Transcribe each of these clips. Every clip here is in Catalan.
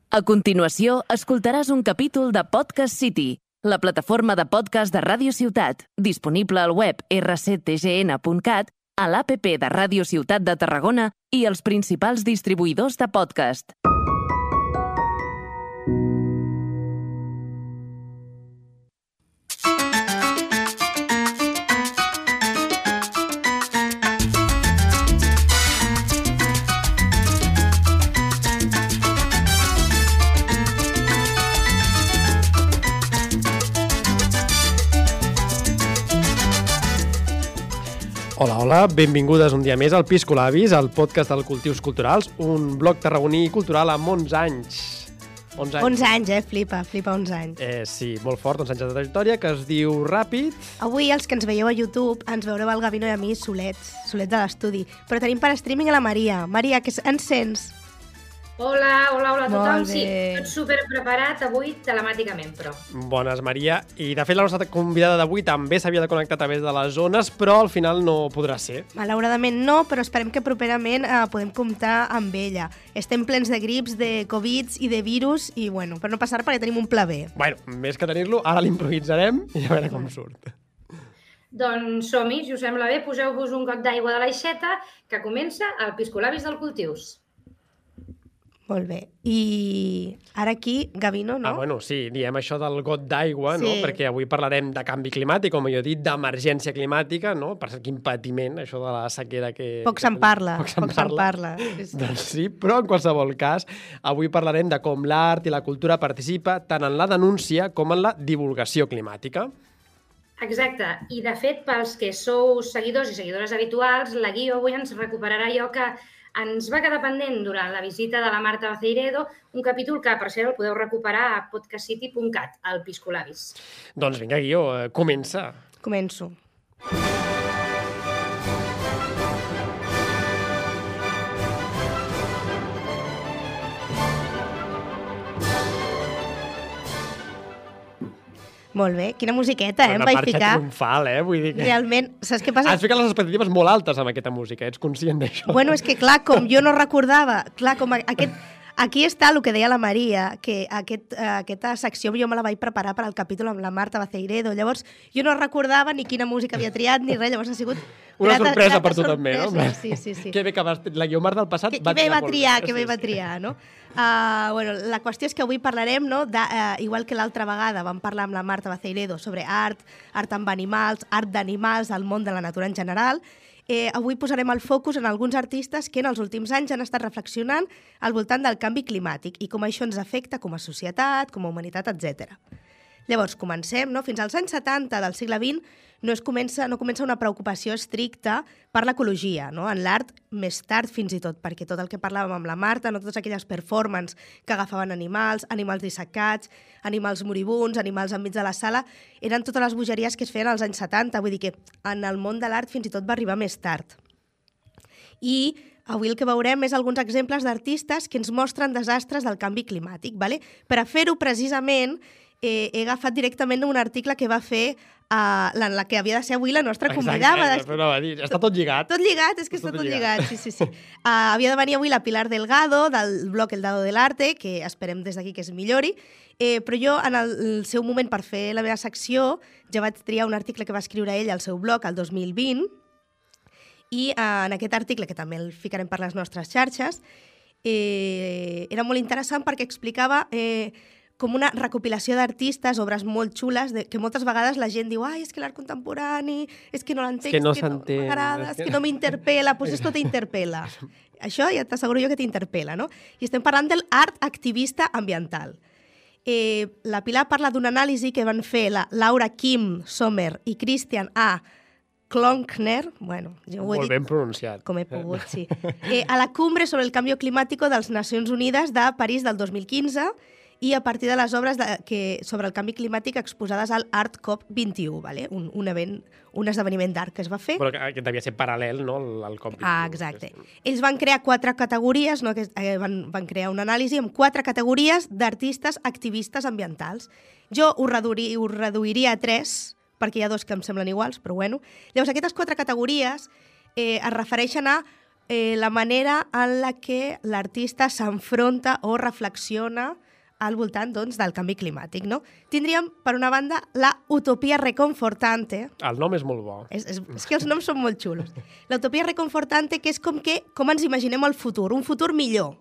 A continuació, escoltaràs un capítol de Podcast City, la plataforma de podcast de Ràdio Ciutat, disponible al web rctgn.cat, a l'APP de Ràdio Ciutat de Tarragona i els principals distribuïdors de podcast. Hola, benvingudes un dia més al Piscolabis, el podcast del Cultius Culturals, un blog tarragoní i cultural amb 11 anys. 11 anys, flipa 11 anys. Sí, molt fort, 11 anys de trajectòria, que es diu ràpid. Avui, els que ens veieu a YouTube, ens veureu el Gavino i a mi solets de l'estudi. Però tenim per streaming a la Maria. Maria, que ens sents? Hola a tothom. Sí, tot super preparat avui telemàticament, però. Bones, Maria. I, de fet, la nostra convidada d'avui també s'havia de connectar a través de les zones, però al final no podrà ser. Malauradament no, però esperem que properament podem comptar amb ella. Estem plens de grips, de Covids i de virus, i bueno, per no passar perquè tenim un pla B. Bueno, més que tenir-lo, ara l'improvisarem i a veure com surt. Doncs som-hi, si us sembla bé, poseu-vos un got d'aigua de l'aixeta, que comença el Piscolabis del Cultius. Molt bé. I ara aquí, Gavino, no? Bueno, sí, diem això del got d'aigua, sí, no? Perquè avui parlarem de canvi climàtic, com jo he dit, d'emergència climàtica, no? Per quin patiment, això de la sequera que... Poc se'n parla. Doncs sí, però en qualsevol cas, avui parlarem de com l'art i la cultura participa tant en la denúncia com en la divulgació climàtica. Exacte. I, de fet, pels que sou seguidors i seguidores habituals, la Guio avui ens recuperarà allò que ens va quedar pendent durant la visita de la Marta Baceiredo, un capítol que, per cert, el podeu recuperar a podcastcity.cat, al Piscolabis. Doncs vinga, Guió, comença. Començo. Molt bé, quina musiqueta, em vaig ficar. Una marxa triomfal, vull dir que... Realment, saps què passa? Has ficat les expectatives molt altes amb aquesta música, ets conscient d'això? Bueno, és que clar, com jo no recordava, aquí està el que deia la Maria, que aquesta secció jo me la vaig preparar per al capítol amb la Marta Baceiredo, llavors jo no recordava ni quina música havia triat ni res, llavors ha sigut... Una sorpresa per tu també, no? Sí. Que bé que la Guiomar del passat va triar. Que bé va triar, no? Bueno, la qüestió és que avui parlarem, no, igual que l'altra vegada vam parlar amb la Marta Baceiredo sobre art amb animals, art d'animals, el món de la natura en general. Avui posarem el focus en alguns artistes que en els últims anys han estat reflexionant al voltant del canvi climàtic i com això ens afecta com a societat, com a humanitat, etc. Llavors, comencem, no? Fins als anys 70 del segle XX no comença una preocupació estricta per l'ecologia, no? En l'art més tard fins i tot, perquè tot el que parlàvem amb la Marta, no totes aquelles performances que agafaven animals dissecats, animals moribuns, animals enmig de la sala, eren totes les bogeries que es feien als anys 70, vull dir que en el món de l'art fins i tot va arribar més tard. I avui el que veurem és alguns exemples d'artistes que ens mostren desastres del canvi climàtic, ¿vale? Per a fer-ho precisament he agafat directament un article que va fer la que havia de ser avui la nostra convidada. Exacte, està tot lligat. Tot lligat, és que està tot lligat, sí. Havia de venir avui la Pilar Delgado, del blog El Dado del Arte, que esperem des d'aquí que es millori, però jo, en el seu moment, per fer la meva secció, ja vaig triar un article que va escriure ell al seu blog el 2020, i en aquest article, que també el ficarem per les nostres xarxes, era molt interessant perquè explicava com una recopilació d'artistes, obres molt xules, que moltes vegades la gent diu és que l'art contemporani, és que no l'entenc, és que no m'agrada, és que no m'interpel·la, doncs esto t'interpel·la. Això ja t'asseguro jo que t'interpel·la, no? I estem parlant de l'art activista ambiental. La Pilar parla d'una anàlisi que van fer la Laura Kim Sommer i Christian A. Klonkner, bueno, jo ho he dit molt ben pronunciat. Com he pogut, sí. A la Cumbre sobre el Cambio Climático de les Nacions Unides de París del 2015 i a partir de les obres sobre el canvi climàtic exposades al Art COP21, ¿vale? un esdeveniment d'art que es va fer. Però que devia ser paral·lel, no?, al COP21. Exacte. Ells van crear 4 categories, no? Van crear una anàlisi amb 4 categories d'artistes activistes ambientals. Jo ho reduiria a 3, perquè hi ha 2 que em semblen iguals, però bueno. Llavors, aquestes 4 categories es refereixen a la manera en la que l'artista s'enfronta o reflexiona al voltant doncs, del canvi climàtic. No? Tindríem, per una banda, la utopia reconfortante. El nom és molt bo. És que els noms són molt xulos. La utopia reconfortante, que és com ens imaginem el futur, un futur millor.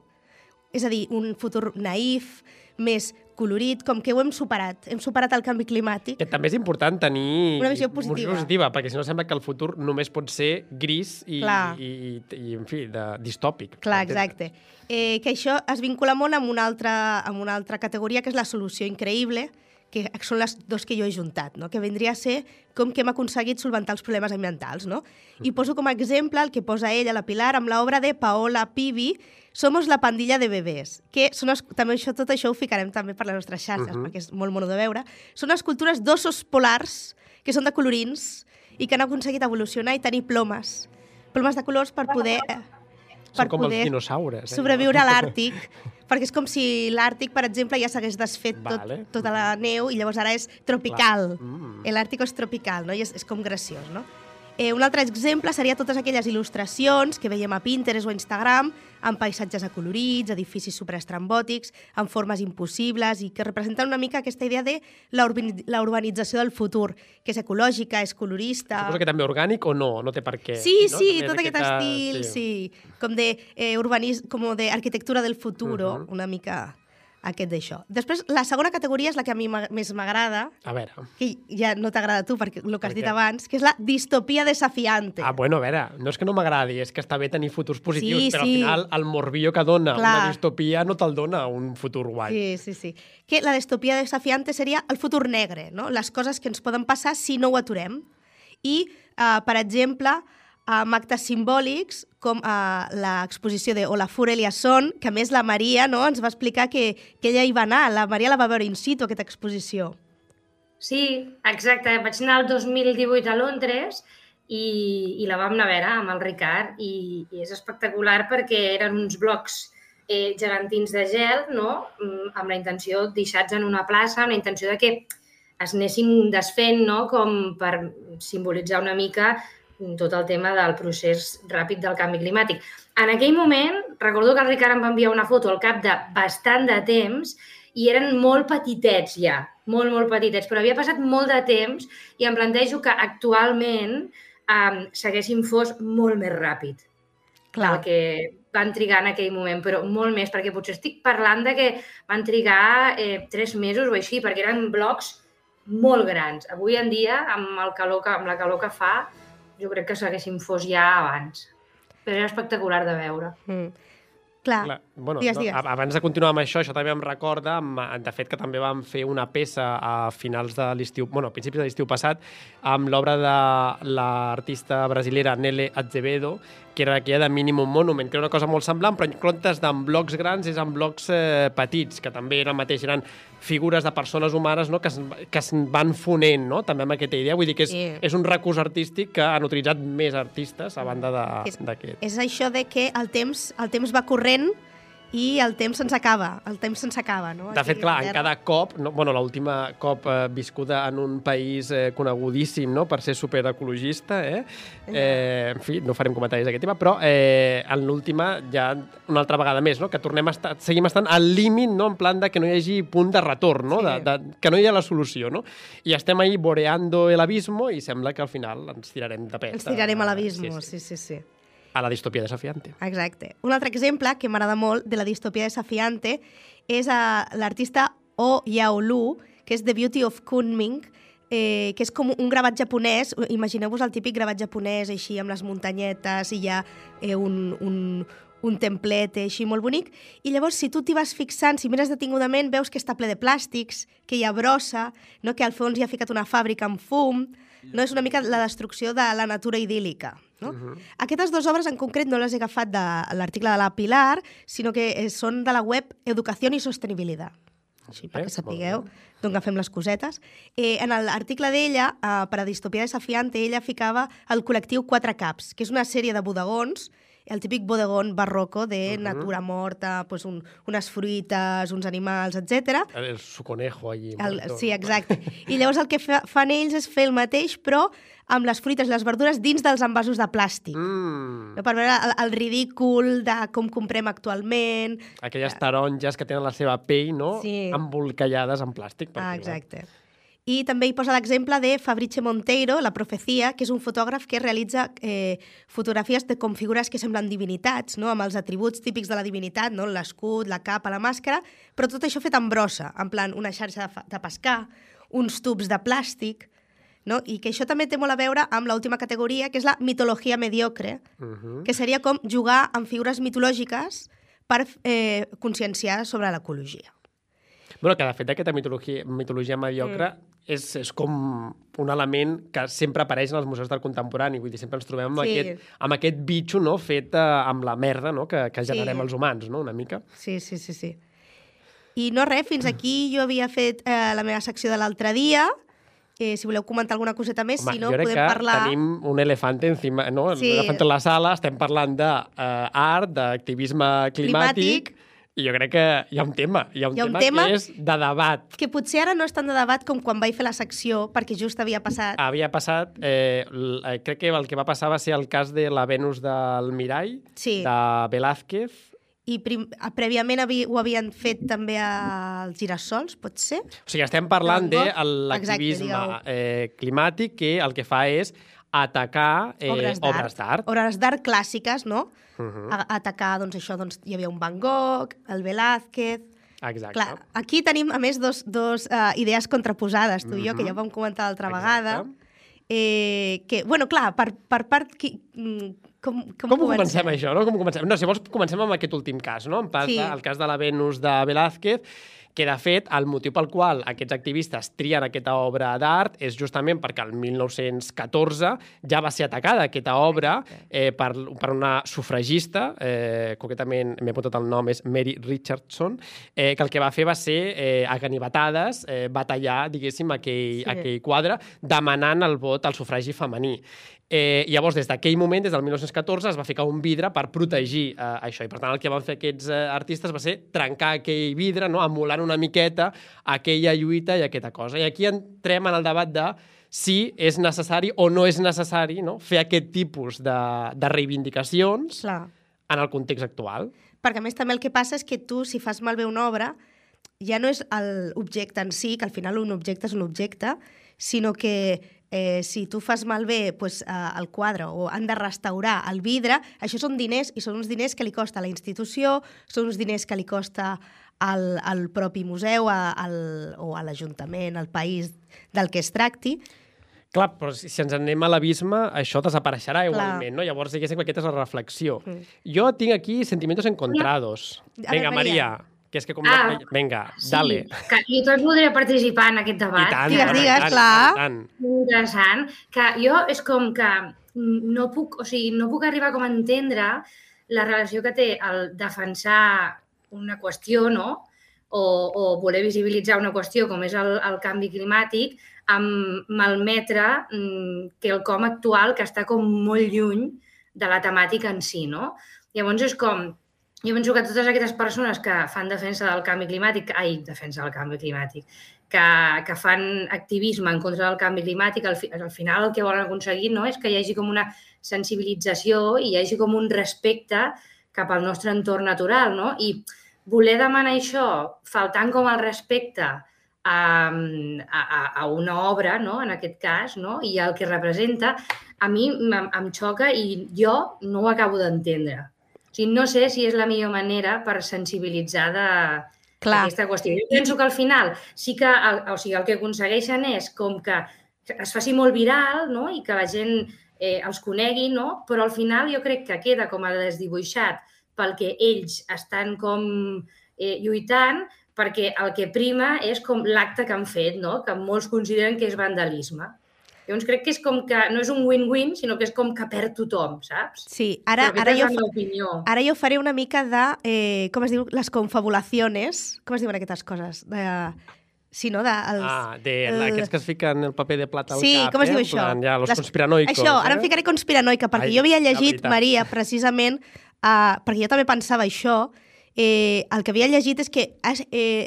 És a dir, un futur naïf, més colorit, com que ho hem superat el canvi climàtic. Que també és important tenir una visió positiva, perquè si no sembla que el futur només pot ser gris i en fi, distòpic. Clar, exacte. Que això es vincula molt amb una altra categoria, que és la solució increïble, que són les dos que jo he juntat, no? Que vindria a ser com que hem aconseguit solventar els problemes ambientals. No? I poso com a exemple el que posa ella, la Pilar, amb l'obra de Paola Pivi, Somos la pandilla de bebès, que són també tot això ho ficarem també per les nostres xarxes, perquè és molt mono de veure. Són escultures d'ossos polars, que són de colorins, i que han aconseguit evolucionar i tenir plomes de colors per poder... Són com els dinosaures. Sobreviure a l'Àrtic, perquè és com si l'Àrtic, per exemple, ja s'hagués desfet tota la neu i llavors ara és tropical. L'Àrtic és tropical, no? I és com graciós, no? Un altre exemple seria totes aquelles il·lustracions que veiem a Pinterest o a Instagram, amb paisatges acolorits, edificis superestrambòtics, amb formes impossibles i que representen una mica aquesta idea de la urbanització del futur, que és ecològica, és colorista... Suposo que també orgànic o no? No té per què. Sí, no? Sí, tot aquest estil, sí. Com d'arquitectura del futur, una mica... aquest d'això. Després, la segona categoria és la que a mi més m'agrada. A veure. Que ja no t'agrada a tu, perquè el que has dit abans, que és la distopia desafiante. Ah, bueno, a veure, no és que no m'agradi, és que està bé tenir futurs positius, però al final el morbillo que dona una distopia no te'l dona un futur guai. Sí. Que la distopia desafiante seria el futur negre, no? Les coses que ens poden passar si no ho aturem. I, per exemple, amb actes simbòlics com l'exposició de Olafur Eliasson, que a més la Maria ens va explicar que ella hi va anar. La Maria la va veure in situ, aquesta exposició. Sí, exacte. Vaig anar el 2018 a Londres i la vam anar a veure amb el Ricard i és espectacular perquè eren uns blocs gegantins de gel, no? Amb la intenció deixats en una plaça, amb la intenció de que es anessin desfent, no? Com per simbolitzar una mica tot el tema del procés ràpid del canvi climàtic. En aquell moment, recordo que el Ricard em va enviar una foto al cap de bastant de temps i eren molt petitets ja, molt petitets, però havia passat molt de temps i em plantejo que actualment s'haguessin fos molt més ràpid del que van trigar en aquell moment, però molt més, perquè potser estic parlant de que van trigar 3 mesos o així, perquè eren blocs molt grans. Avui en dia, amb la calor que fa, jo crec que s'haguessin fos ja abans. Però era espectacular de veure. Clar. Bueno, digues. Abans de continuar amb això també em recorda, de fet, que també vam fer una peça a finals de l'estiu, a principis de l'estiu passat, amb l'obra de l'artista brasilera Nele Azevedo, que era aquella de Minimum Monument, que era una cosa molt semblant, però en comptes d'en blocs grans és en blocs petits, que també eren figures de persones humanes, no? que es van fonent, no? També amb aquesta idea. Vull dir que és un recurs artístic que han utilitzat més artistes a banda d'aquest. És això de que el temps va corrent i el temps se'ns acaba. No? De fet, clar, en cada cop, l'última cop viscuda en un país conegudíssim, no? Per ser superecologista, en fi, no farem comentaris d'aquest tema, però en l'última ja una altra vegada més, no? Que seguim estant al límit, no? En plan de que no hi hagi punt de retorn, no? Que no hi ha la solució, no? I estem ahí boreando el abismo i sembla que al final ens tirarem de pet. Ens tirarem a l'abismo, sí. A la distopia desafiante. Exacte. Un altre exemple que m'agrada molt de la distopia desafiante és l'artista Oh Yao-Lu, que és The Beauty of Kunming, que és com un gravat japonès. Imagineu-vos el típic gravat japonès, així, amb les muntanyetes, i hi ha un templet així molt bonic. I llavors, si tu t'hi vas fixant, si mires detingudament, veus que està ple de plàstics, que hi ha brossa, no? Que al fons hi ha ficat una fàbrica amb fum. No? És una mica la destrucció de la natura idíl·lica. No? Aquestes dues obres en concret no les he agafat de l'article de la Pilar, sinó que són de la web Educació i Sostenibilitat. Així, perquè sapigueu d'on agafem les cosetes. En l'article d'ella, per a Distopia Desafiante, ella ficava el col·lectiu 4 Caps, que és una sèrie de bodegons el típic bodegón barroco de natura morta, pues unes fruites, uns animals, etc. Su conejo allí. Sí, exacte. I llavors el que fan ells és fer el mateix, però amb les fruites i les verdures dins dels envasos de plàstic. No, per veure el ridícul de com comprem actualment. Aquelles taronges que tenen la seva pell, no? Sí. Embolcallades en plàstic. Exacte. I també hi posa l'exemple de Fabrice Monteiro, La profecia, que és un fotògraf que realitza fotografies de com figures que semblen divinitats, no? Amb els atributs típics de la divinitat, no? L'escut, la capa, la màscara, però tot això fet en brossa, en plan una xarxa de pescar, uns tubs de plàstic, no? I que això també té molt a veure amb l'última categoria, que és la mitologia mediocre, que seria com jugar amb figures mitològiques per conscienciar sobre l'ecologia. Bueno, que de fet aquesta mitologia mediocre és com un element que sempre apareix en els museus del contemporani, vull dir, sempre ens trobem amb aquest bitxo, no?, fet amb la merda, no?, que generem els humans, no?, una mica. Sí. I no res, fins aquí jo havia fet la meva secció de l'altre dia. Si voleu comentar alguna coseta més, si no, podem parlar... Tenim un elefant encima, no? Sí. Elefant en la sala, estem parlant d'art, d'activisme climàtic, i jo crec que hi ha un tema. Hi ha un tema que és de debat. Que potser ara no és tant de debat com quan vaig fer la secció, perquè just havia passat. Havia passat, crec que el que va passar va ser el cas de la Venus del Mirall, de Velázquez. I prèviament ho havien fet també als girassols, pot ser? O sigui, estem parlant de l'activisme climàtic que el que fa és atacar obres d'art. Obres d'art clàssiques, no? Atacar, doncs això, hi havia un Van Gogh, el Velázquez... Exacte. Clar, aquí tenim, a més, dos idees contraposades, tu i jo, que ja ho vam comentar l'altra vegada. Que, bueno, clar, per part... Com comencem això, no? No, si vols, comencem amb aquest últim cas, no? El cas de la Venus de Velázquez, que, de fet, el motiu pel qual aquests activistes trien aquesta obra d'art és justament perquè el 1914 ja va ser atacada aquesta obra per una sufragista, concretament m'he apuntat el nom, és Mary Richardson, que el que va fer va ser a ganivetades batallar, diguéssim, aquell quadre, demanant el vot al sufragi femení. Llavors, des d'aquell moment, des del 1914, es va ficar un vidre per protegir això. I, per tant, el que van fer aquests artistes va ser trencar aquell vidre, no? Emulant una miqueta aquella lluita i aquesta cosa. I aquí entrem en el debat de si és necessari o no és necessari, no?, fer aquest tipus de reivindicacions en el context actual. Perquè, a més, també el que passa és que tu, si fas malbé una obra, ja no és l'objecte en si, que al final un objecte és un objecte, sinó que si tu fas malbé el quadre o han de restaurar el vidre, això són diners, i són uns diners que li costa a la institució, són uns diners que li costa al propi museu o a l'Ajuntament, al país del que es tracti. Clar, però si ens anem a l'abisme, això desapareixerà igualment, no? Llavors, diguéssim que aquesta és la reflexió. Jo tinc aquí sentimientos encontrados. Vinga, Maria, que és que com... Vinga, dale. Jo també voldria participar en aquest debat. I tant, digues, clar. Interessant. Que jo és com que no puc arribar com a entendre la relació que té el defensar una qüestió, no?, o voler visibilitzar una qüestió com és el canvi climàtic, amb malmetre quelcom actual que està com molt lluny de la temàtica en si, no? Llavors és com... Jo penso que totes aquestes persones que fan defensa del canvi climàtic, que fan activisme en contra del canvi climàtic, al final el que volen aconseguir, no?, és que hi hagi com una sensibilització i hi hagi com un respecte cap al nostre entorn natural, no? I voler demanar això faltant com el respecte a una obra, no?, en aquest cas, no?, i el que representa, a mi em xoca i jo no ho acabo d'entendre. O sigui, no sé si és la millor manera per sensibilitzar d'aquesta qüestió. Jo penso que al final sí que el que aconsegueixen és com que es faci molt viral, no?, i que la gent els conegui, no?, però al final jo crec que queda com a desdibuixat pel que ells estan com lluitant, perquè el que prima és com l'acte que han fet, no?, que molts consideren que és vandalisme. Llavors crec que és com que no és un win-win, sinó que és com que perd tothom, saps? Sí, ara jo faré una mica de, com es diu, les confabulaciones, com es diuen aquestes coses? Sí, no? Aquests que es fiquen el paper de plata al cap. Sí, com es diu això? Ja, los conspiranoicos. Això, ara em ficaré conspiranoica, perquè jo havia llegit, Maria, precisament, perquè jo també pensava això, el que havia llegit és que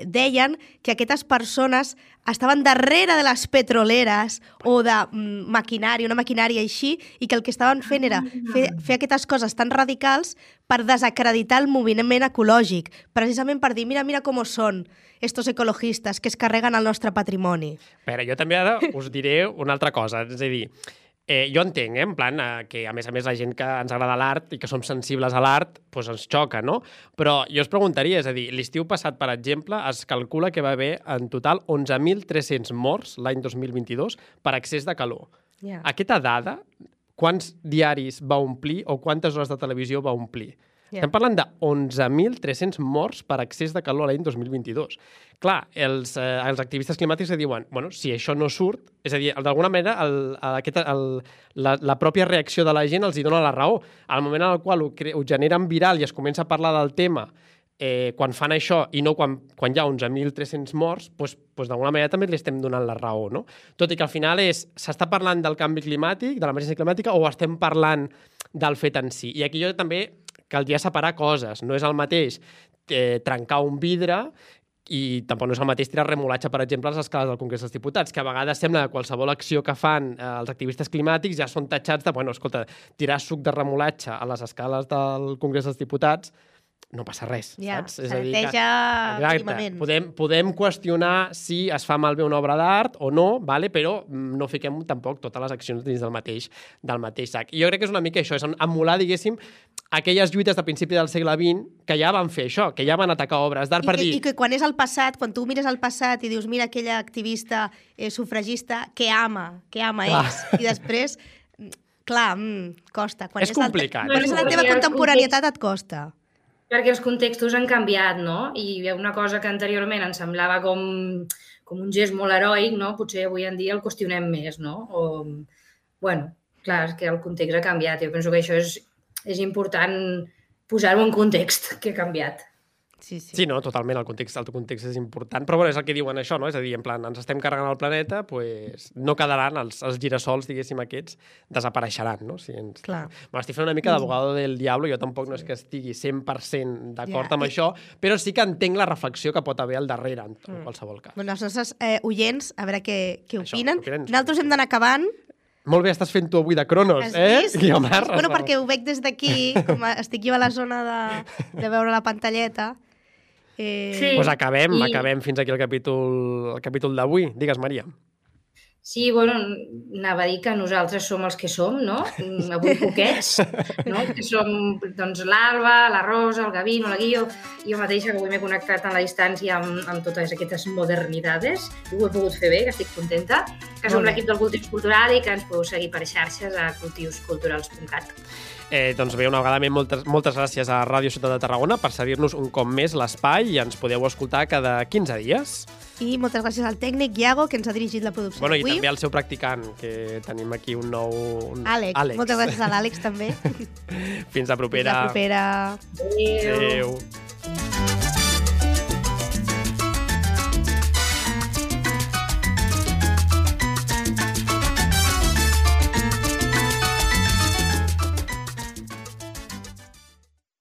deien que aquestes persones estaven darrere de les petroleres o de maquinària, una maquinària així, i que el que estaven fent era fer aquestes coses tan radicals per desacreditar el moviment ecològic, precisament per dir, mira com són estos ecologistes que es carreguen el nostre patrimoni. Però jo també ara us diré una altra cosa, és a dir, jo entenc, en plan, que a més la gent que ens agrada l'art i que som sensibles a l'art, doncs ens xoca, no? Però jo us preguntaria, és a dir, l'estiu passat, per exemple, es calcula que va haver en total 11.300 morts l'any 2022 per excés de calor. Yeah. Aquesta dada, quants diaris va omplir o quantes hores de televisió va omplir? Yeah. Estem parlant de 11.300 morts per excés de calor l'any 2022. Clar, els activistes climàtics diuen, bueno, si això no surt, és a dir, d'alguna manera la pròpia reacció de la gent els hi dona la raó. Al moment en el qual ho generen viral i es comença a parlar del tema, quan fan això i no quan hi ha 11.300 morts, doncs d'alguna manera també li estem donant la raó, no? Tot i que al final s'està parlant del canvi climàtic, de l'emergència climàtica, o estem parlant del fet en si. I aquí jo també caldria separar coses. No és el mateix trencar un vidre i tampoc no és el mateix tirar remolatge, per exemple, a les escales del Congrés dels Diputats, que a vegades sembla que qualsevol acció que fan els activistes climàtics ja són tatxats de, bueno, escolta, tirar suc de remolatge a les escales del Congrés dels Diputats no passa res, saps? És a dir, mínimament. Podem qüestionar si es fa malbé una obra d'art o no, però no fiquem tampoc totes les accions dins del mateix sac. I jo crec que és una mica això, és emular, diguéssim, aquelles lluites de principi del segle XX que ja van fer això, que ja van atacar obres d'art per dir... I que quan és el passat, quan tu mires el passat i dius, mira aquella activista sufragista que ama és, i després, clar, costa. És complicat. Quan és la teva contemporaneitat et costa. Perquè els contextos han canviat, no? I una cosa que anteriorment ens semblava com un gest molt heroic, no? Potser avui en dia el qüestionem més, no? Bueno, clar, és que el context ha canviat. Jo penso que això és important posar-ho en context, que ha canviat. Sí, no, totalment, el context és important, però bueno, és el que diuen això, no? És a dir, en plan, ens estem carregant el planeta, doncs no quedaran els girassols, diguéssim, aquests, desapareixeran, no? M'estic fent una mica d'abogado del diablo, jo tampoc no és que estigui 100% d'acord amb això, però sí que entenc la reflexió que pot haver al darrere, en qualsevol cas. Bueno, els nostres oients, a veure què opinen. Nosaltres hem d'anar acabant. Molt bé, estàs fent tu avui de Cronos, Guiomar? Bueno, perquè ho veig des d'aquí, com estic jo a la zona de veure la pantalleta. Doncs acabem fins aquí el capítol d'avui. Digues, Maria. Sí, bueno, anava a dir que nosaltres som els que som, no? Avui poquets, no? Que som, doncs, l'Alba, la Rosa, el Gavino, la Guio, jo mateixa, que avui m'he connectat a la distància amb totes aquestes modernidades. I ho he pogut fer bé, que estic contenta. Que som l'equip del Cultius Cultural i que ens podeu seguir per xarxes a cultiusculturals.cat. Doncs bé, una vegada més, moltes gràcies a Ràdio Ciutat de Tarragona per cedir-nos un cop més l'espai i ens podeu escoltar cada 15 dies. I moltes gràcies al tècnic Iago, que ens ha dirigit la producció d'avui. I també al seu practicant, que tenim aquí un nou... Àlex. Moltes gràcies a l'Àlex, també. Fins la propera. Fins la propera. Adéu.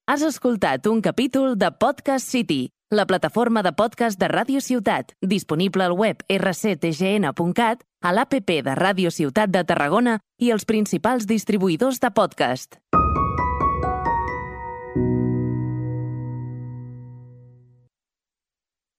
Has escoltat un capítol de Podcast City, la plataforma de podcast de Ràdio Ciutat, disponible al web rctgn.cat, a l'APP de Ràdio Ciutat de Tarragona i els principals distribuïdors de podcast.